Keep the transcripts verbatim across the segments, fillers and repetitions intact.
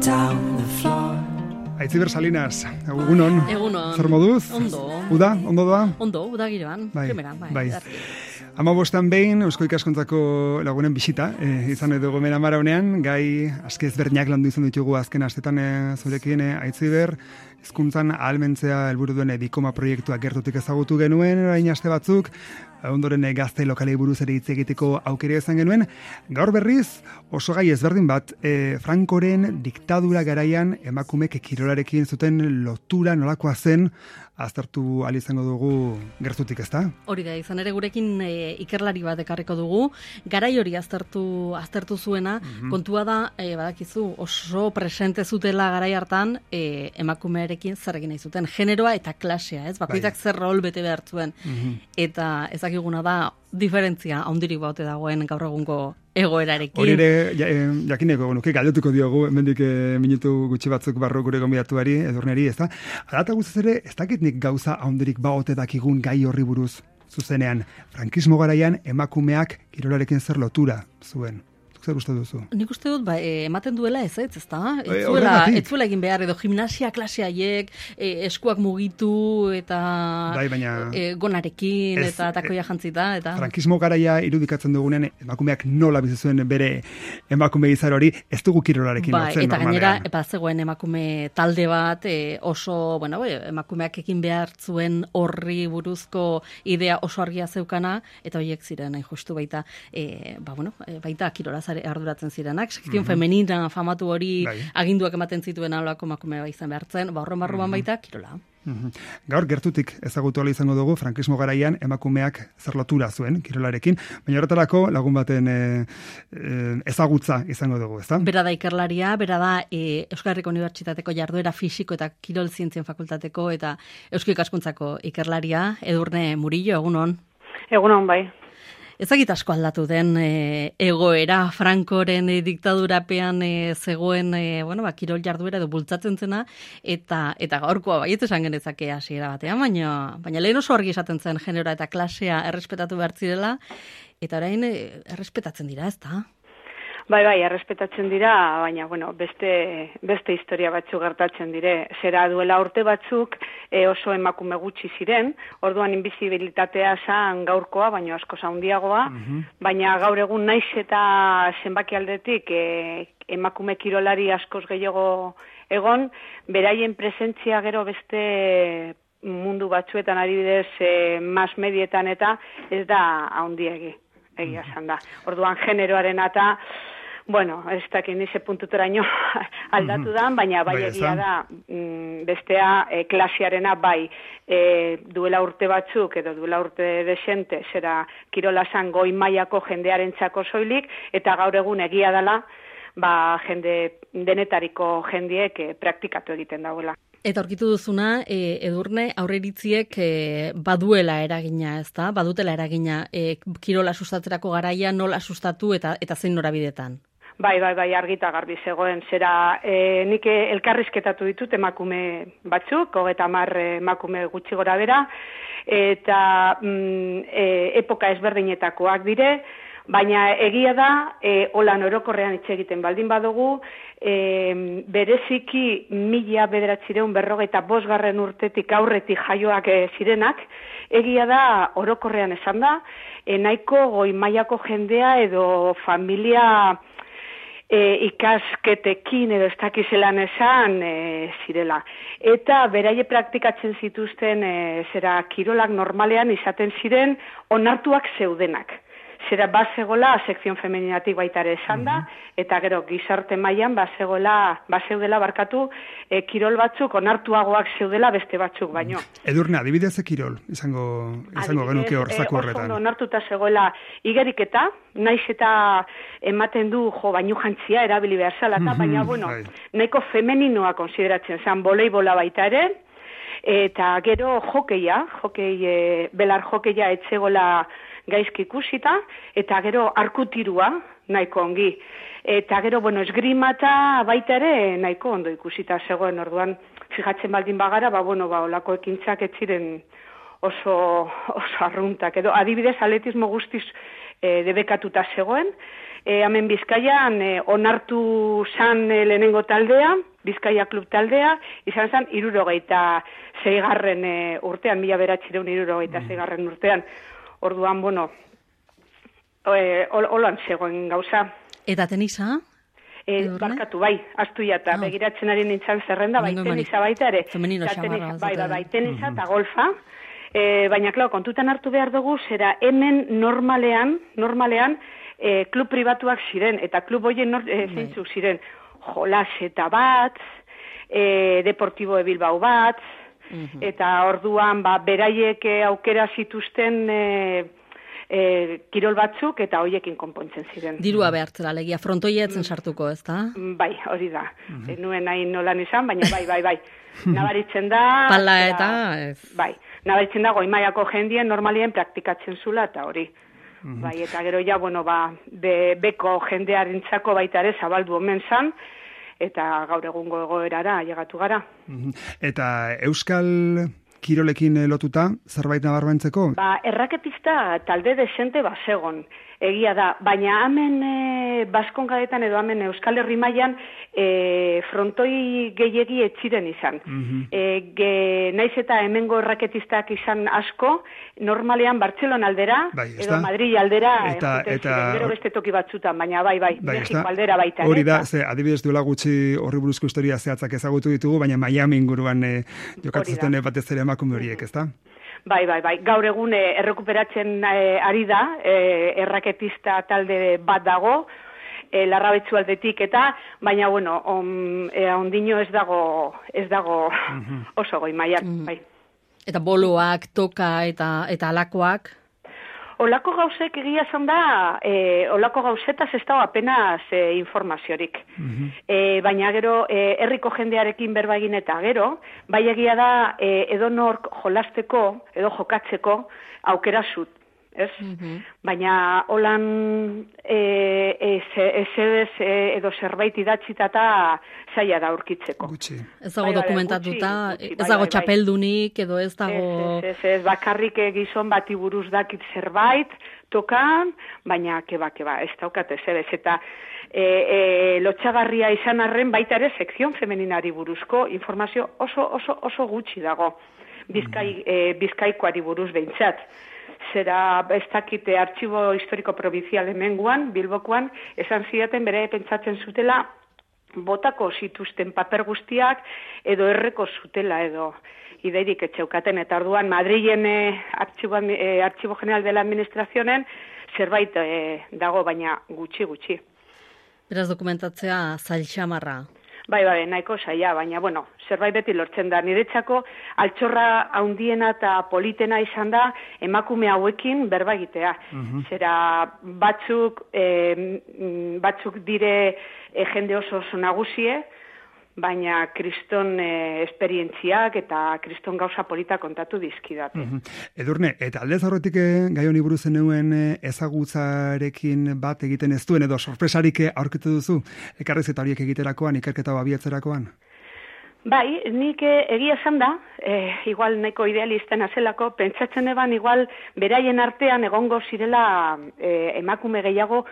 down the floor. Aitziber Salinas, egunon. Egunon. Zer moduz? Ondo. Uda, ondo da? Ondo, uda giroan. Bai, Primera, bai. bai. Ama bostan behin, Eusko Ikaskuntzako lagunen bisita, e, izan edo gomena mara honean, gai aski ezberdinak landu izan ditugu azken astetan e, zurekin, e, Aitziber, hizkuntzan ahalmentzea helburu duen Bikoma proiektua gertutik ezagutu genuen, orain aste batzuk, ondoren gazte lokalei buruz ere hitz egiteko aukera izan genuen. Gaur berriz, oso gai ezberdin bat, e, Francoren diktadura garaian emakumek kirolarekin zuten lotura nolakoa zen, aztertu ahal izango dugu gertutik, ezta? Hori da, izan ere gurekin e, ikerlari bat ekarriko dugu, garai hori aztertu aztertu zuena, mm-hmm. kontua da, e, badakizu, oso presente zutela garai hartan, e, emakumearekin zer egin nahi zuten, generoa eta klasea, ez? Bakoitzak bai. Zer rol bete behar zuen. Mm-hmm. Eta ezakiguna da, diferentzia handirik baute dagoen gaur egungo egoerarekin. Hori ere, ja, jakineko, nuke galdetuko diogu, hemendik e, minutu gutxi batzuk barro gure gonbidatuari, Edurneri, ez da? Arata guztiz ere, ez dakit nik gauza handirik baote dakigun gai horri buruz zuzenean. Frankismo garaian emakumeak kirolarekin zer lotura zuen. Zer uste duzu? Nik uste dut, ba, e, ematen duela ez, ez, ez da? E, ez zuela egin behar, edo gimnasia klase haiek, e, eskuak mugitu, eta bai, baina, e, gonarekin, ez, eta takoia jantzita, eta... Frankismo garaia irudikatzen dugunean, emakumeak nola bizi zuen bere emakume izar hori, ez dugu kirolarekin ba, lotzen eta normalean. gainera, epa zegoen emakume talde bat, e, oso, bueno, bai, emakumeak ekin behar zuen horri buruzko idea oso argia zeukana, eta horiek ziren, hain justu baita, e, ba, bueno, baita kirolaz arduratzen zirenak, sekzion mm-hmm. femenina famatu hori bai. Aginduak ematen zituen alako emakumea izan behartzen, ba, horren barruan mm-hmm. baita, kirola. Mm-hmm. Gaur gertutik ezagutu ala izango dugu, frankismo garaian emakumeak zer lotura zuen, kirolarekin, baina horretarako lagun baten e, e, ezagutza izango dugu, ezta? Bera da ikerlaria, bera da e, Euskal Herriko Unibertsitateko jarduera fisiko eta kirol zientzien fakultateko eta Eusko Ikaskuntzako ikerlaria, Edurne Murillo, egunon? Egunon, bai. Ezagit asko aldatu den e, egoera, Francoren e, diktadurapean e, zegoen e, bueno, ba, kirol jarduera edo bultzatzen zena, eta eta gaurkoa baiet esan genezake hasiera batean, baina, baina lehen oso argi esaten zen genera eta klasea errespetatu behar zirela, eta orain e, errespetatzen dira, ez da? Bai, bai, errespetatzen dira, baina, bueno, beste, beste historia batzuk gertatzen dire. Zera duela urte batzuk e, oso emakume gutxi ziren, orduan inbizibilitatea zan gaurkoa, baina asko handiagoa, mm-hmm. baina gaur egun naiz eta zenbaki aldetik e, emakume kirolari askoz gehiago egon, beraien presentzia gero beste mundu batzuetan adibidez e, mass medietan eta ez da handiegi. Egia esan da. Orduan generoaren eta, bueno, ez dakit nize puntuteraino aldatu da, baina bai egia da mm, bestea e, klasiarena bai e, duela urte batzuk edo duela urte desente, zera kirola zan goi mailako jendearentzako soilik, eta gaur egun egia dela, ba, jende denetariko jendiek e, praktikatu egiten dauela. Eta aurkitu duzuna, e, Edurne, aurreritziek e, baduela eragina, ez da? Badutela eragina, e, kirola sustatzerako garaia nola sustatu eta eta zein norabidetan? Bai, bai, bai, argita garbi zegoen. Zera, e, nik elkarrizketatu ditut emakume batzuk, hogeita hamar emakume gutxi gora bera, eta mm, e, epoka ezberdinetakoak dire, baina egia da, e, holan orokorrean hitz egiten baldin badugu, e, bereziki mila bederatzireun berrogeita bosgarren urtetik aurretik jaioak e, zirenak, egia da orokorrean esan da, e, nahiko goi mailako jendea edo familia e, ikasketekin edo ez dakizelan esan e, zirela. Eta beraie praktikatzen zituzten e, zera kirolak normalean izaten ziren onartuak zeudenak. Zera bazegola sekzion femeninatik baita ere esan da, eta gero gizarte mailan bazegola, bazeudela barkatu e, kirol batzuk onartuagoak zeudela beste batzuk baino. Edurne, adibidez kirol, izango, izango genuke hor zaku horretan. E, oso onartuta zegoela igeriketa, naiz eta ematen du jo bainu jantzia erabili behar zela, eta baina bueno, nahiko femeninoa konsideratzen zen, voleibola baita ere, eta gero jokeia, jokei, e, belar jokeia etzegola gaizki ikusita, eta gero arkutirua nahiko ongi. Eta gero, bueno, esgrimata baita ere nahiko ondo ikusita zegoen, orduan, fijatzen baldin bagara, ba, bueno, ba, olako ekintzak ez ziren oso, oso arruntak. Edo, adibidez, atletismo guztiz e, debekatuta zegoen, e, hemen Bizkaian e, onartu zan e, lehenengo taldea, Bizkaia klub taldea, izan zen irurogeita zeigarren e, urtean, mila beratxireun irurogeita zeigarren urtean. Orduan, bueno, e, holan zegoen gauza. Eta tenisa? E, barkatu, bai, astu jata, ah. begiratzen ari nintzen zerrenda, bai, tenisa baita ere. Femenino xamarra. Bai, bai, bai, tenisa eta golfa. E, baina, klar, kontutan hartu behar dugu, zera hemen normalean, normalean, e, klub pribatuak ziren, eta klub hoien nor, e, zeintzuk ziren, Jolas eta bat, e, Deportibo de Bilbao bat, uh-huh. eta orduan, ba, beraiek aukera zituzten e, e, kirol batzuk, eta hoiekin konpontzen ziren. Dirua behartzera, legia, frontoietzen sartuko, ez da? Bai, hori da. Uh-huh. Nuen hain nolan izan, baina bai, bai, bai. Nabaritzen da... Pala eta... Ez. Bai, nabaritzen da, goimaiako jendien normalien praktikatzen zula, eta hori. Mm-hmm. Bai, eta gero ja, bueno, ba, be, beko jendearentzako baita ere zabaldu omen zan, eta gaur egungo egoerara llegatu gara. Mm-hmm. Eta Euskal kirolekin lotuta, zerbait nabarmentzeko? Ba, erraketista talde desente basegon, egia da, baina hemen e, Baskongadetan edo hemen Euskal Herri mailan e, frontoi gehiegi etxiren izan. Mm-hmm. e, ge, naiz eta hemengo erraketistak izan asko, normalean Bartzelona aldera, bai, edo Madrid aldera, eta, eta, ziren, gero beste toki batzutan, baina bai, bai, bai Mexiko aldera baita. Hori da, ze, adibidez duela gutxi horri buruzko historia zehatzak ezagutu ditugu, baina Miami inguruan e, jokatzen batez ere emakume horiek, ezta? Bai, bai, bai. Gaur egun e, errekuperatzen e, ari da, e, erraketista talde bat dago, e, Larrabetzu aldetik eta, baina, bueno, on, e, ondino ez dago, ez dago uh-huh. oso goi mailan, uh-huh. bai. Eta boloak, toka eta eta alakoak? Olako gauzek egia zan da, e, olako gauzetaz ez dago apenas e, informaziorik. Uh-huh. E, baina gero, e, herriko jendearekin berba egin eta gero, bai egia da e, edonork jolasteko, edo jokatzeko aukera zut. Ez? Uh-huh. Baina holan e, ez edez e, edo zerbait idatzitata zaila da aurkitzeko. Gutxi. Ez dago dokumentatuta, ez dago txapeldunik edo ez dago... Ez, ez, ez, bakarrik gizon bati buruz dakit zerbait, tokan, baina keba, keba, ez daukat ez edez. Eta e, e, lotxagarria izan arren baita ere sekzion femeninari buruzko informazio oso, oso, oso gutxi dago. Bizkai, e, bizkaikoari buruz behintzat. Zera, ez dakite, artxibo historiko provincial hemenguan, Bilbokoan, esan zidaten bere pentsatzen zutela, botako zituzten paper guztiak, edo erreko zutela, edo ideirik etxeukaten. Eta orduan, Madrilen eh, artxibo, eh, artxibo general de la administrazionen, zerbait eh, dago, baina gutxi, gutxi. Beraz dokumentatzea zail xamarra. Bai, bai, nahiko saia, baina, bueno, zerbait beti lortzen da. Niretzako altxorra haundiena eta politena izan da emakume hauekin berba egitea. Uh-huh. Zera, batzuk, eh, batzuk dire eh, jende oso oso nagusie, baina kriston eh, esperientziak eta kriston gauza polita kontatu dizkidate. Uh-huh. Edurne, eta aldez aurretik gai honi buruz zenuen ezagutzarekin bat egiten ez duen, edo sorpresarik aurkitu duzu, ekarrezeta horiek egiterakoan, ikerketa abiatzerakoan? Bai, nik egia esan da, eh, igual nahiko idealisten azelako, pentsatzen eban igual beraien artean egongo zirela eh, emakume gehiago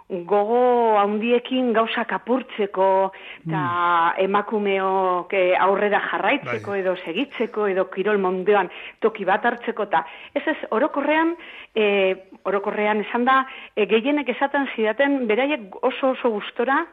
gogo handiekin gauzak apurtzeko eta mm. emakumeok aurrera jarraitzeko bai. Edo segitzeko edo kirol munduan toki bat hartzeko eta ez ez orokorrean e, orokorrean esan da e, gehienek esaten zidaten beraiek oso oso gustora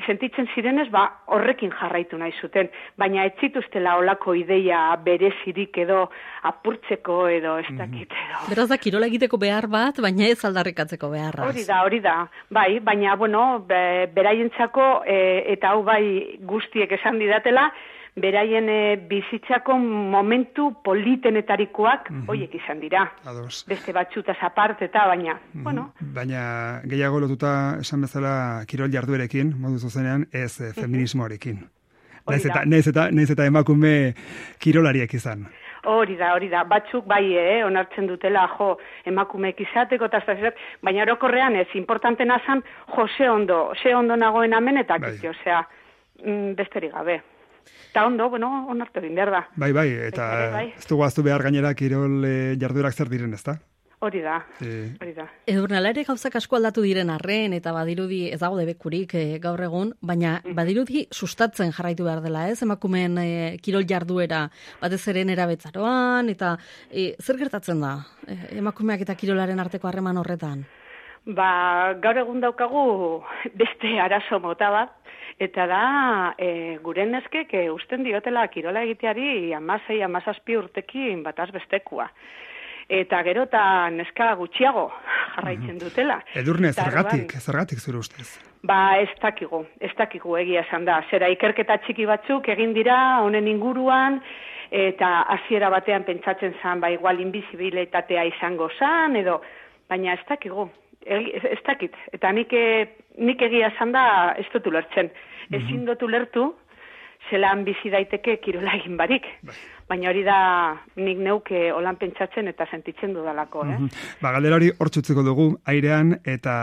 sentitzen zirenez, ba, horrekin jarraitu nahi zuten, baina ez zituztela olako ideia berezirik edo apurtzeko edo ez dakit edo. Beraz da, kirola egiteko behar bat, baina ez aldarrikatzeko beharraz. Hori da, hori da, bai, baina, bueno, be, beraientzako, e, eta hau bai guztiek esan didatela, beraien e, bizitzako momentu politenetarikoak mm-hmm. hoiek izan dira. Ados. Beste batzutaz aparte eta baina, mm-hmm. bueno. Baina gehiago lotuta esan bezala kirol jarduerekin, modu zuzenean, ez e, feminismoarekin. Naiz eta, naiz eta, naiz eta emakume kirolariek izan. Hori da, hori da. Batzuk bai, eh, onartzen dutela, jo, emakumeek izateko, eta baina orokorrean ez, importantena zan, jo, ze ondo, ze ondo nagoen amen, eta bai. Kiti, osea, besterik gabe. Eta ondo, bueno, onartu egin behar da. Bai, bai, eta bai, bai. Ez dugu aztu behar gainera kirol e, jarduerak zer diren, ezta? Hori da, E, hori da. Edurne, ala ere gauzak asko aldatu diren arren, eta badirudi ez dago debekurik e, gaur egun, baina badirudi sustatzen jarraitu behar dela, ez? Emakumeen e, kirol jarduera, batez ere nerabetzaroan, eta e, zer gertatzen da e, emakumeak eta kirolaren arteko harreman horretan? Ba, gaur egun daukagu beste arazo mota bat, eta da e, gure neskek e, usten diotela kirola egiteari amasei, amazazpi urtekin bataz bestekua. Eta gero eta neska gutxiago jarraitzen dutela. Edurne, Eta zergatik, orduan, zergatik zure ustez? Ba, ez dakigu, ez dakigu egia esan da. Zera ikerketa txiki batzuk egin dira honen inguruan, eta hasiera batean pentsatzen zan, ba, igual inbizibilitatea izango zan, edo, baina ez dakigu. Ez, ez dakit, eta nik, nik egia esan da ez dut ulertzen. Ezin dut ulertu, zelan bizi daiteke kirola egin barik. Baina hori da nik neuke holan pentsatzen eta sentitzen dudalako, eh? Ba, galdera hori hor txutzeko dugu, airean, eta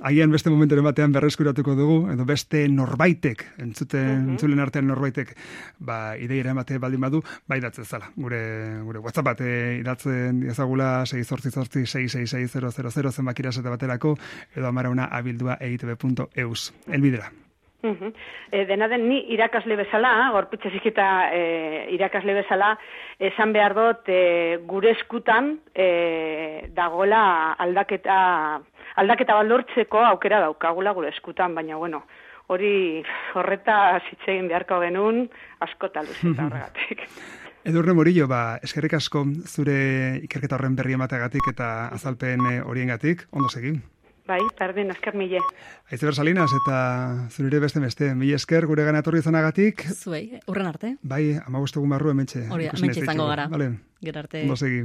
agian beste momenturen batean berreskuratuko dugu, edo beste norbaitek, entzuten, entzulen artean norbaitek, ba, ideira emate baldin badu, ba, idatzen zala. Gure, gure WhatsApp bat idatzen diazagula sei zortzi zortzi sei sei sei zero zero zero zenbakira esate baterako, edo amarauna abildua eitb punto eus. Elbidera. Uhum. E, dena den, ni irakasle bezala, gorputze zikita e, irakasle bezala, esan behar dut e, gure eskutan e, dagola aldaketa, aldaketa baldortzeko aukera daukagula gure eskutan, baina bueno, hori horreta zitzegin beharko genuen askota luzeta horregatik. Edurne Morillo, ba, eskerrik asko zure ikerketa horren berri emateagatik eta azalpen horiengatik, ondo segin. Bai, perdin, esker mile. Aitziber Salinas eta zurire beste beste. Mila esker gure gana etorri izanagatik. Zuei, urren arte. Bai, amabost egun barru hementxe. Hori, hementxe izango gara. Vale. Gero arte. Ondo segi.